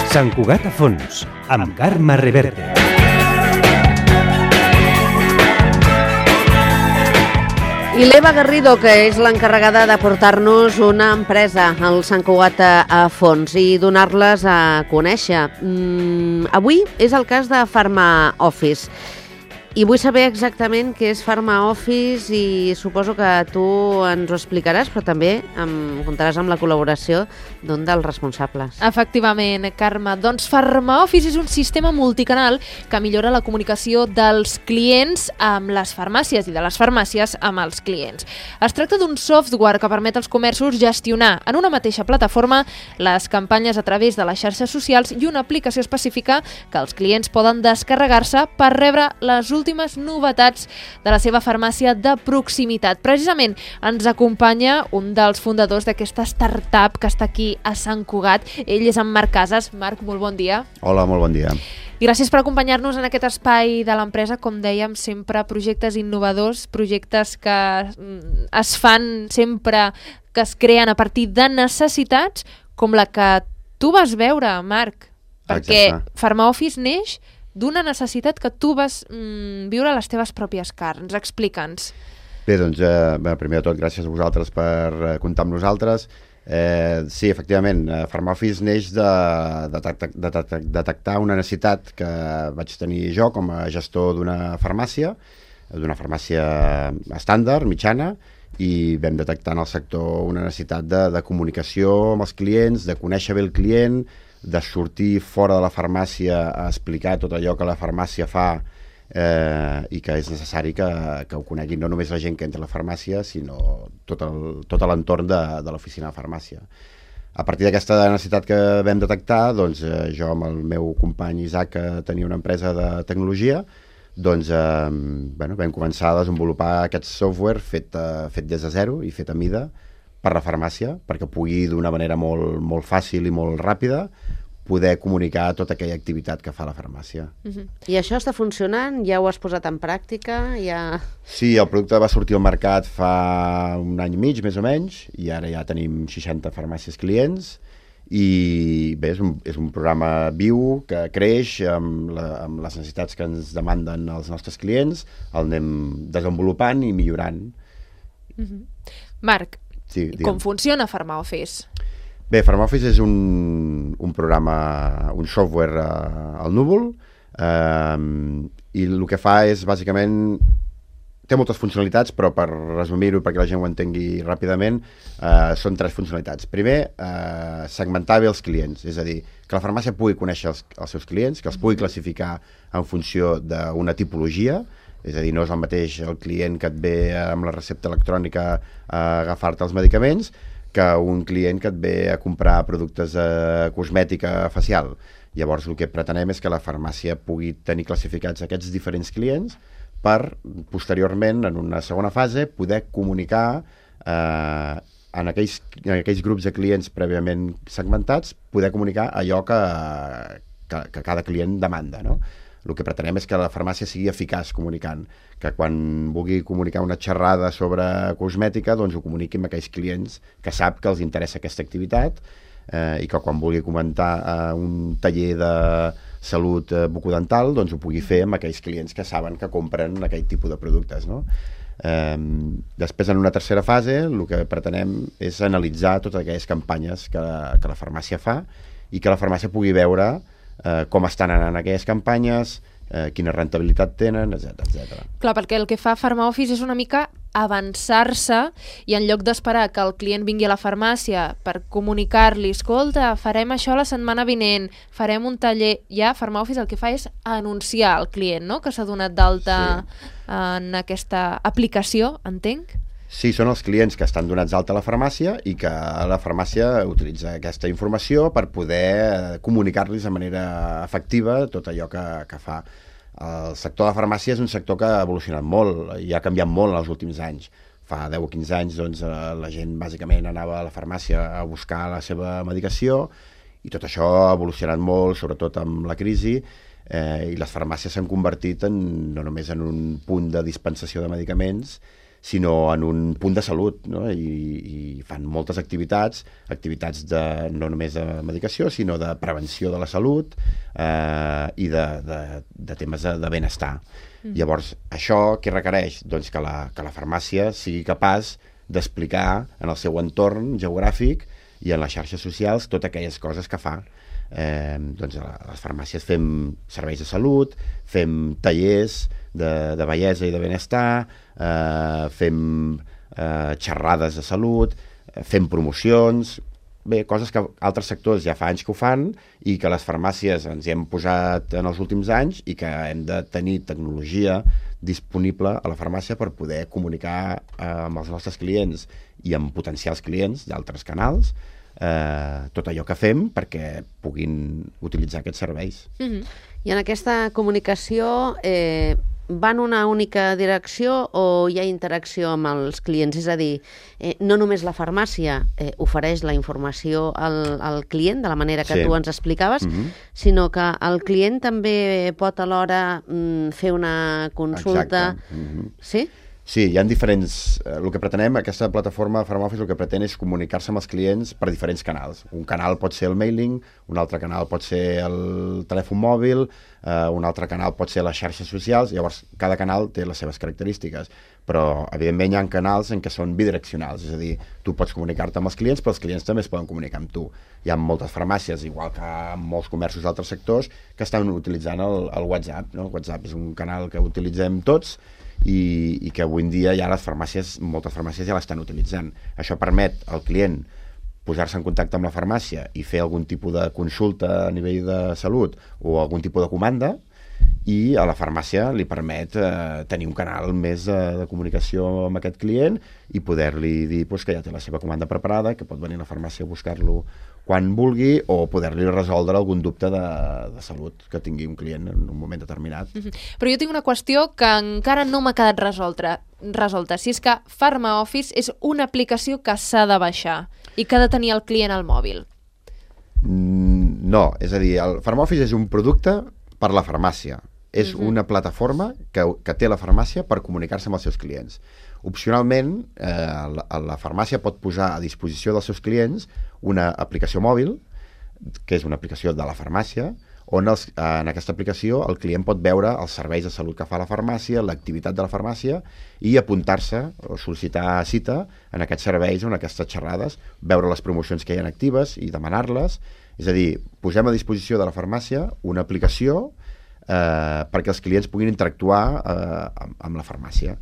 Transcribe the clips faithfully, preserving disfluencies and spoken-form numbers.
Sant Cugat a fons, amb Carme Reverte. I l'Eva Garrido, que és l'encarregada de portar-nos una empresa al Sant Cugat a fons i donar-les a conèixer. Mm, avui és el cas de Pharma Office. I vull saber exactament què és Pharma Office i suposo que tu ens ho explicaràs, però també em comptaràs amb la col·laboració d'un dels responsables. Efectivament, Carme. Doncs Pharma Office és un sistema multicanal que millora la comunicació dels clients amb les farmàcies i de les farmàcies amb els clients. Es tracta d'un software que permet als comerços gestionar en una mateixa plataforma les campanyes a través de les xarxes socials i una aplicació específica que els clients poden descarregar-se per rebre les últimes novetats de la seva farmàcia de proximitat. Precisament ens acompanya un dels fundadors d'aquesta startup que està aquí a Sant Cugat. Ell és en Marc Casas. Marc, molt bon dia. Hola, molt bon dia. I gràcies per acompanyar-nos en aquest espai de l'empresa. Com dèiem, sempre projectes innovadors, projectes que es fan sempre, que es creen a partir de necessitats, com la que tu vas veure, Marc. Perquè Exacte. Pharma Office neix d'una necessitat que tu vas mm, viure a les teves pròpies carns. Explica'ns. Bé, doncs, eh, bé, primer de tot, gràcies a vosaltres per eh, comptar amb nosaltres. Eh, sí, efectivament, eh, Pharma Office neix de, de, de, de, de detectar una necessitat que vaig tenir jo com a gestor d'una farmàcia, d'una farmàcia estàndard, mitjana, i vam detectar en el sector una necessitat de, de comunicació amb els clients, de conèixer bé el client, de sortir fora de la farmàcia a explicar tot allò que la farmàcia fa eh, i que és necessari que, que ho coneguin no només la gent que entra a la farmàcia, sinó tot el, tot l'entorn de, de l'oficina de farmàcia. A partir d'aquesta necessitat que vam detectar, doncs, eh, jo amb el meu company Isaac, que tenia una empresa de tecnologia, doncs, eh, bueno, vam començar a desenvolupar aquest software fet, eh, fet des de zero i fet a mida per la farmàcia, perquè pugui d'una manera molt, molt fàcil i molt ràpida poder comunicar tota aquella activitat que fa la farmàcia. Uh-huh. I això està funcionant? Ja ho has posat en pràctica? Ja... Sí, el producte va sortir al mercat fa un any i mig, més o menys, i ara ja tenim seixanta farmàcies clients, i bé, és un, és un programa viu que creix amb, la, amb les necessitats que ens demanden els nostres clients, el anem desenvolupant i millorant. Uh-huh. Marc, sí, com funciona Pharma Office? Bé, Pharma Office és un, un programa, un software uh, al núvol, uh, i el que fa és, bàsicament, té moltes funcionalitats, però per resumir-ho, perquè la gent ho entengui ràpidament, uh, són tres funcionalitats. Primer, uh, segmentar bé els clients, és a dir, que la farmàcia pugui conèixer els, els seus clients, que els pugui classificar en funció d'una tipologia, és a dir, no és el mateix el client que et ve amb la recepta electrònica a agafar-te els medicaments que un client que et ve a comprar productes de cosmètica facial. Llavors, el que pretenem és que la farmàcia pugui tenir classificats aquests diferents clients per, posteriorment, en una segona fase, poder comunicar eh, en, aquells, en aquells grups de clients prèviament segmentats, poder comunicar allò que, que, que cada client demanda, no? El que pretenem és que la farmàcia sigui eficaç comunicant, que quan vulgui comunicar una xerrada sobre cosmètica, doncs ho comuniqui amb aquells clients que sap que els interessa aquesta activitat, eh, i que quan vulgui comentar eh, un taller de salut eh, bucodental, doncs ho pugui fer amb aquells clients que saben que compren aquell tipus de productes, no? Eh, després, en una tercera fase, el que pretenem és analitzar totes aquelles campanyes que, que la farmàcia fa i que la farmàcia pugui veure eh, com estan anant aquelles campanyes, eh, quina rentabilitat tenen, etcètera, etcètera. Clar, perquè el que fa Pharma Office és una mica avançar-se i en lloc d'esperar que el client vingui a la farmàcia per comunicar-li, escolta, farem això la setmana vinent, farem un taller, ja Pharma Office el que fa és anunciar al client, no?, que s'ha donat d'alta sí. en aquesta aplicació, entenc? Sí, són els clients que estan donats d'alta a la farmàcia i que la farmàcia utilitza aquesta informació per poder comunicar-los de manera efectiva tot allò que, que fa. El sector de la farmàcia és un sector que ha evolucionat molt i ha canviat molt en els últims anys. Fa deu o quinze anys doncs, la gent bàsicament anava a la farmàcia a buscar la seva medicació i tot això ha evolucionat molt, sobretot amb la crisi, eh, i les farmàcies s'han convertit en, no només en un punt de dispensació de medicaments, sinó en un punt de salut, no? I, i fan moltes activitats, activitats de, no només de medicació, sinó de prevenció de la salut eh, i de, de, de temes de, de benestar. Mm. Llavors, això què requereix? Doncs que la, que la farmàcia sigui capaç d'explicar en el seu entorn geogràfic i en les xarxes socials totes aquelles coses que fa. Eh, doncs a les farmàcies fem serveis de salut, fem tallers de, de bellesa i de benestar, eh, fem eh, xerrades de salut, eh, fem promocions, bé, coses que altres sectors ja fa anys que ho fan i que les farmàcies ens hi hem posat en els últims anys i que hem de tenir tecnologia disponible a la farmàcia per poder comunicar eh, amb els nostres clients i amb potencials clients d'altres canals eh, tot allò que fem perquè puguin utilitzar aquests serveis. Mm-hmm. I en aquesta comunicació eh, va en una única direcció o hi ha interacció amb els clients? És a dir, eh, no només la farmàcia eh, ofereix la informació al, al client, de la manera que sí. tu ens explicaves, mm-hmm. sinó que el client també pot alhora mm, fer una consulta. Mm-hmm. Sí? Sí, hi ha diferents... Eh, el que pretenem, aquesta plataforma Farmoffice, el que pretén és comunicar-se amb els clients per diferents canals. Un canal pot ser el mailing, un altre canal pot ser el telèfon mòbil, eh, un altre canal pot ser les xarxes socials, llavors cada canal té les seves característiques, però evidentment hi ha canals en què són bidireccionals, és a dir, tu pots comunicar-te amb els clients, però els clients també es poden comunicar amb tu. Hi ha moltes farmàcies, igual que en molts comerços d'altres sectors, que estan utilitzant el, el WhatsApp, no? El WhatsApp és un canal que utilitzem tots, I, i que avui en dia ja les farmàcies, moltes farmàcies ja l'estan utilitzant. Això permet al client posar-se en contacte amb la farmàcia i fer algun tipus de consulta a nivell de salut o algun tipus de comanda, i a la farmàcia li permet eh, tenir un canal més eh, de comunicació amb aquest client i poder-li dir pues, que ja té la seva comanda preparada, que pot venir a la farmàcia a buscar-lo quan vulgui, o poder-li resoldre algun dubte de, de salut que tingui un client en un moment determinat. Mm-hmm. Però jo tinc una qüestió que encara no m'ha quedat resolta, resolta. Si és que Farmaoffice és una aplicació que s'ha de baixar i que ha de tenir el client al mòbil. Mm, no, és a dir, el Farmaoffice és un producte per la farmàcia. És uh-huh. una plataforma que, que té la farmàcia per comunicar-se amb els seus clients. Opcionalment, eh, la, la farmàcia pot posar a disposició dels seus clients una aplicació mòbil, que és una aplicació de la farmàcia, on els, en aquesta aplicació el client pot veure els serveis de salut que fa la farmàcia, l'activitat de la farmàcia, i apuntar-se o sol·licitar cita en aquests serveis o en aquestes xerrades, veure les promocions que hi ha actives i demanar-les. És a dir, posem a disposició de la farmàcia una aplicació eh, perquè els clients puguin interactuar eh, amb, amb la farmàcia.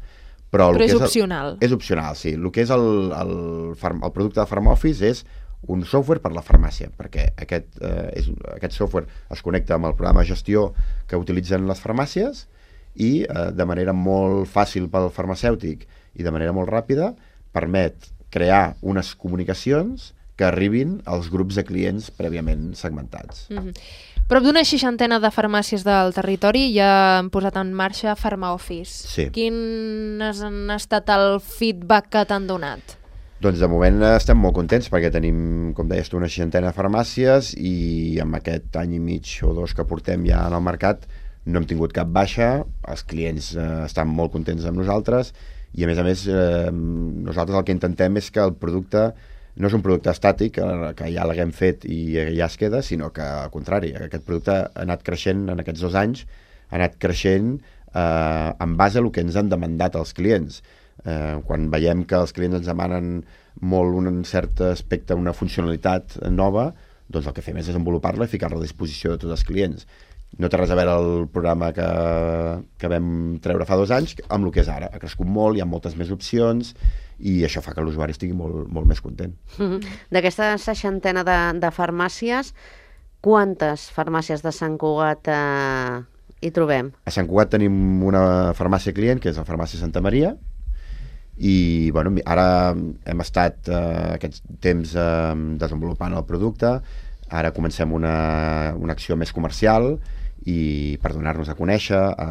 Però, Però el és que és opcional. El, és opcional, sí. El que és el, el, el producte de Farmoffice és un software per la farmàcia, perquè aquest, eh, és, aquest software es connecta amb el programa de gestió que utilitzen les farmàcies i eh, de manera molt fàcil pel farmacèutic i de manera molt ràpida permet crear unes comunicacions que arribin als grups de clients prèviament segmentats. Mm-hmm. Prop d'una seixantena de farmàcies del territori ja han posat en marxa Farmaoffice. Sí. Quin han estat el feedback que t'han donat? Doncs de moment estem molt contents perquè tenim, com deies tu, una seixantena de farmàcies i amb aquest any i mig o dos que portem ja en el mercat no hem tingut cap baixa, els clients eh, estan molt contents amb nosaltres i a més a més eh, nosaltres el que intentem és que el producte no és un producte estàtic, que ja l'haguem fet i ja es queda, sinó que al contrari, aquest producte ha anat creixent en aquests dos anys, ha anat creixent eh, en base a el que ens han demandat els clients. Eh, quan veiem que els clients ens demanen molt un cert aspecte, una funcionalitat nova, doncs el que fem és desenvolupar-la i ficar-la a disposició de tots els clients. No té res a veure el programa que, que vam treure fa dos anys amb el que és ara. Ha crescut molt, hi ha moltes més opcions i això fa que l'usuari estigui molt, molt més content. Mm-hmm. D'aquesta seixantena de, de farmàcies, quantes farmàcies de Sant Cugat eh, hi trobem? A Sant Cugat tenim una farmàcia client, que és la farmàcia Santa Maria, i bueno, ara hem estat eh, aquest temps eh, desenvolupant el producte, ara comencem una, una acció més comercial i per donar-nos a conèixer a,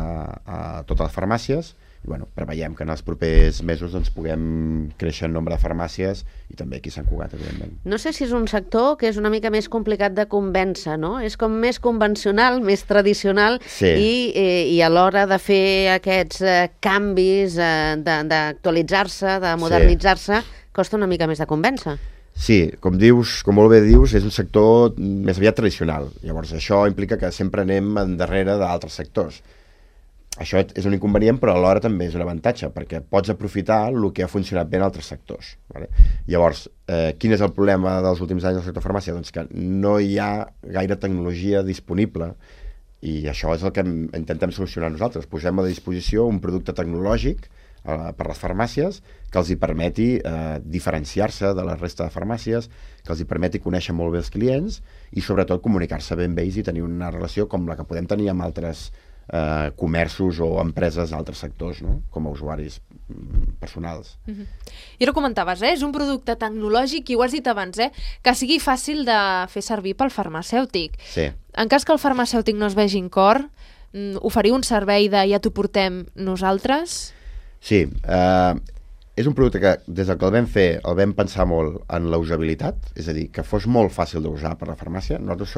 a totes les farmàcies i bueno, preveiem que en els propers mesos doncs, puguem créixer en nombre de farmàcies i també aquí a Sant Cugat, evidentment. No sé si és un sector que és una mica més complicat de convèncer, no? És com més convencional, més tradicional, sí. i, eh, i a l'hora de fer aquests eh, canvis, eh, d'actualitzar-se, de modernitzar-se, sí. costa una mica més de convèncer. Sí, com dius, com molt bé dius, és un sector més aviat tradicional. Llavors això implica que sempre anem endarrere d'altres sectors. Això és un inconvenient, però alhora també és un avantatge, perquè pots aprofitar el que ha funcionat bé en altres sectors. Vale? Llavors, eh, quin és el problema dels últims anys del sector farmàcia? Doncs que no hi ha gaire tecnologia disponible i això és el que intentem solucionar nosaltres. Posem a disposició un producte tecnològic per les farmàcies, que els hi permeti eh, diferenciar-se de la resta de farmàcies, que els hi permeti conèixer molt bé els clients i sobretot comunicar-se bé amb ells i tenir una relació com la que podem tenir amb altres eh, comerços o empreses d'altres sectors, no? Com a usuaris personals. Uh-huh. I ara comentaves, eh? És un producte tecnològic i ho has dit abans, eh? Que sigui fàcil de fer servir pel farmacèutic. Sí. En cas que el farmacèutic no es vegi en cor, oferir un servei de ja t'ho portem nosaltres? Sí, eh, és un producte que des del que el vam fer el vam pensar molt en la usabilitat, és a dir, que fos molt fàcil d'usar per la farmàcia. Nosaltres,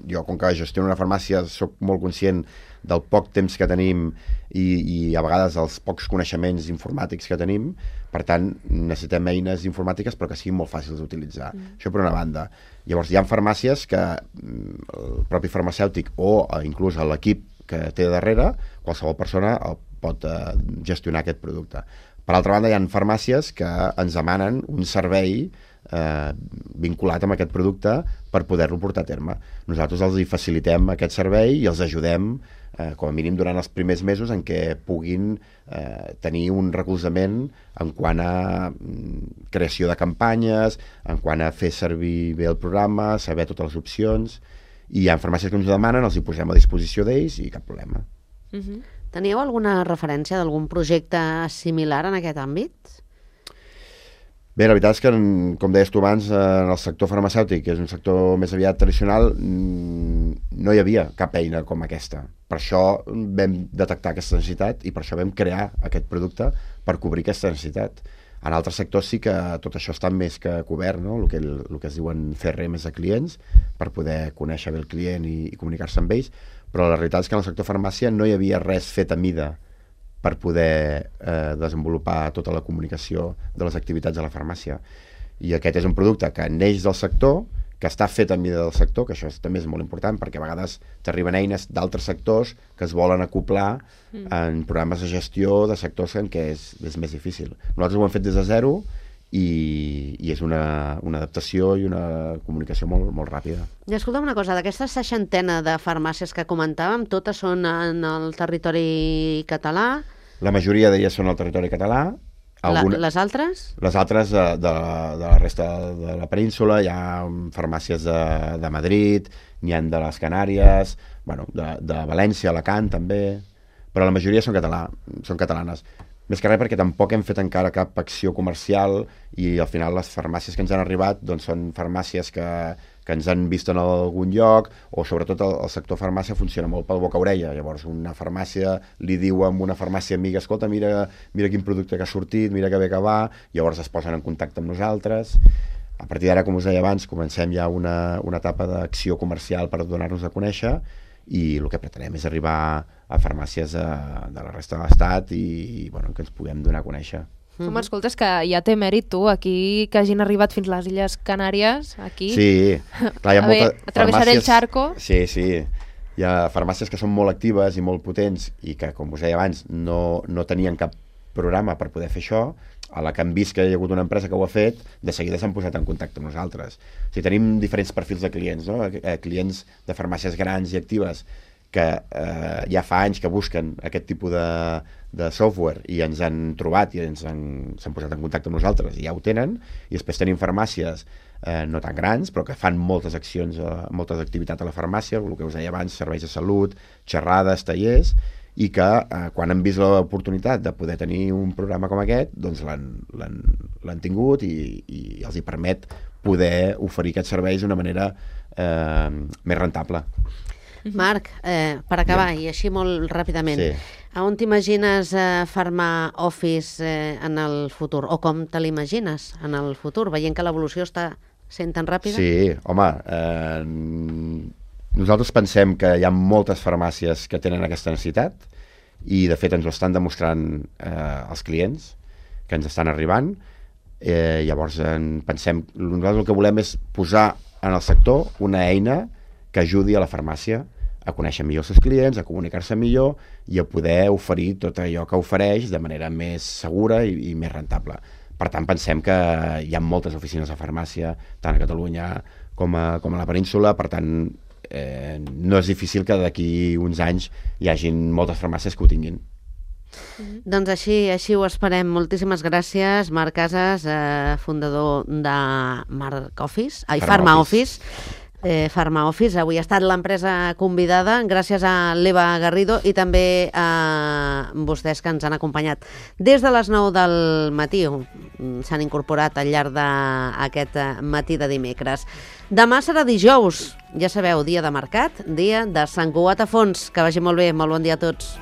jo, com que gestiono una farmàcia, soc molt conscient del poc temps que tenim i, i a vegades els pocs coneixements informàtics que tenim, per tant, necessitem eines informàtiques però que siguin molt fàcils d'utilitzar. Mm. Això per una banda. Llavors, hi ha farmàcies que el propi farmacèutic o inclús l'equip que té darrere, qualsevol persona el pot eh, gestionar aquest producte. Per altra banda, hi ha farmàcies que ens demanen un servei eh, vinculat amb aquest producte per poder-lo portar a terme. Nosaltres els hi facilitem aquest servei i els ajudem, eh, com a mínim durant els primers mesos, en què puguin eh, tenir un recolzament en quant a mm, creació de campanyes, en quant a fer servir bé el programa, saber totes les opcions, i hi ha farmàcies que ens ho demanen, els hi posem a disposició d'ells i cap problema. Uh-huh. Teníeu alguna referència d'algun projecte similar en aquest àmbit? Bé, la veritat és que, com deies tu abans, en el sector farmacèutic, que és un sector més aviat tradicional, no hi havia cap eina com aquesta. Per això vam detectar aquesta necessitat i per això vam crear aquest producte per cobrir aquesta necessitat. En altres sectors sí que tot això està més que cobert, no? El que, el que es diuen C R Ms de clients, per poder conèixer bé el client i, i comunicar-se amb ells, però la realitat és que en el sector farmàcia no hi havia res fet a mida per poder eh, desenvolupar tota la comunicació de les activitats de la farmàcia. I aquest és un producte que neix del sector, que està fet a mida del sector, que això també és molt important, perquè a vegades t'arriben eines d'altres sectors que es volen acoplar mm. en programes de gestió de sectors en què és, és més difícil. Nosaltres ho hem fet des de zero i, i és una, una adaptació i una comunicació molt, molt ràpida. I escolta'm una cosa, d'aquesta seixantena de farmàcies que comentàvem, totes són en el territori català? La majoria d'elles són al territori català. Alguna... Les altres? Les altres de, de, de la resta de la península, hi ha farmàcies de, de Madrid, n'hi ha de les Canàries, bueno, de, de València, Alacant també, però la majoria són, català, són catalanes. Més que res perquè tampoc hem fet encara cap acció comercial i al final les farmàcies que ens han arribat doncs, són farmàcies que, que ens han vist en algun lloc, o sobretot el, el sector farmàcia funciona molt pel boca-orella. Llavors una farmàcia li diu a una farmàcia amiga, escolta, mira, mira quin producte que ha sortit, mira que bé que va, llavors es posen en contacte amb nosaltres. A partir d'ara, com us deia abans, comencem ja una, una etapa d'acció comercial per donar-nos a conèixer i el que pretenem és arribar a farmàcies de, de la resta de l'Estat i, i bueno, que ens puguem donar a conèixer. Tu m'escoltes que ja té mèrit tu, aquí que hagin arribat fins a les Illes Canàries, aquí. Sí, clar, hi ha a molta... Ver, atravessar el charco. Sí, sí, hi ha farmàcies que són molt actives i molt potents i que, com us deia abans, no, no tenien cap programa per poder fer això. A la que han vist que hi ha hagut una empresa que ho ha fet, de seguida s'han posat en contacte amb nosaltres. O sigui, tenim diferents perfils de clients, no? Clients de farmàcies grans i actives que eh, ja fa anys que busquen aquest tipus de, de software i ens han trobat i ens han, s'han posat en contacte amb nosaltres i ja ho tenen. I després tenim farmàcies eh, no tan grans, però que fan moltes accions, eh, moltes activitats a la farmàcia, el que us deia abans, serveis de salut, xerrades, tallers, i que eh, quan han vist l'oportunitat de poder tenir un programa com aquest, doncs l'han tingut i, i els hi permet poder oferir aquests serveis d'una manera eh, més rentable. Marc, eh, per acabar, i així molt ràpidament, Sí. a on t'imagines eh, Pharma Office eh, en el futur? O com te l'imagines en el futur, veient que l'evolució està sent tan ràpida? Sí, home, eh, nosaltres pensem que hi ha moltes farmàcies que tenen aquesta necessitat i, de fet, ens ho estan demostrant eh, els clients que ens estan arribant. Eh, llavors, en pensem, nosaltres el que volem és posar en el sector una eina que ajudi a la farmàcia a conèixer millor els seus clients, a comunicar-se millor i a poder oferir tot allò que ofereix de manera més segura i, i més rentable. Per tant, pensem que hi ha moltes oficines de farmàcia, tant a Catalunya com a, com a la península, per tant, eh, no és difícil que d'aquí uns anys hi hagin moltes farmàcies que ho tinguin. Mm-hmm. Doncs així, així ho esperem. Moltíssimes gràcies, Marc Casas, eh, fundador de Marc Office, ai, Pharma Office. Eh, Pharma Office, avui ha estat l'empresa convidada gràcies a l'Eva Garrido i també a vostès que ens han acompanyat des de les nou del matí, s'han incorporat al llarg d'aquest matí de dimecres. Demà serà dijous, ja sabeu, dia de mercat, dia de Sant Cugat a Fons. Que vagi molt bé, molt bon dia a tots.